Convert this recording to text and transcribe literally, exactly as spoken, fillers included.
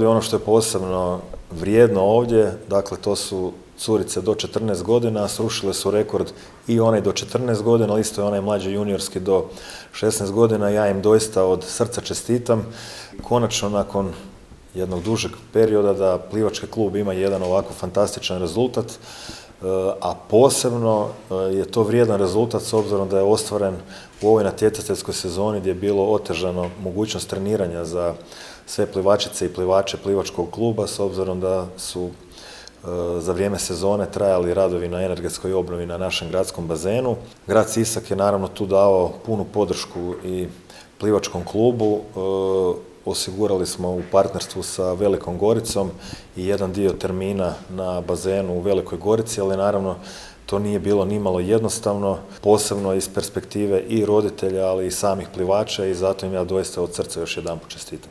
Ono što je posebno vrijedno ovdje, dakle to su curice do četrnaest godina, srušile su rekord i onaj do četrnaest godina, ali isto je onaj mlađi juniorski do šesnaest godina. Ja im doista od srca čestitam. Konačno nakon jednog dužeg perioda da plivački klub ima jedan ovako fantastičan rezultat, a posebno je to vrijedan rezultat s obzirom da je ostvaren u ovoj natjecateljskoj sezoni gdje je bilo otežano mogućnost treniranja za sve plivačice i plivače plivačkog kluba, s obzirom da su za vrijeme sezone trajali radovi na energetskoj obnovi na našem gradskom bazenu. Grad Sisak je naravno tu dao punu podršku i plivačkom klubu. Osigurali smo u partnerstvu sa Velikom Goricom i jedan dio termina na bazenu u Velikoj Gorici, ali naravno to nije bilo nimalo jednostavno, posebno iz perspektive i roditelja, ali i samih plivača, i zato im ja doista od srca još jedanput čestitam.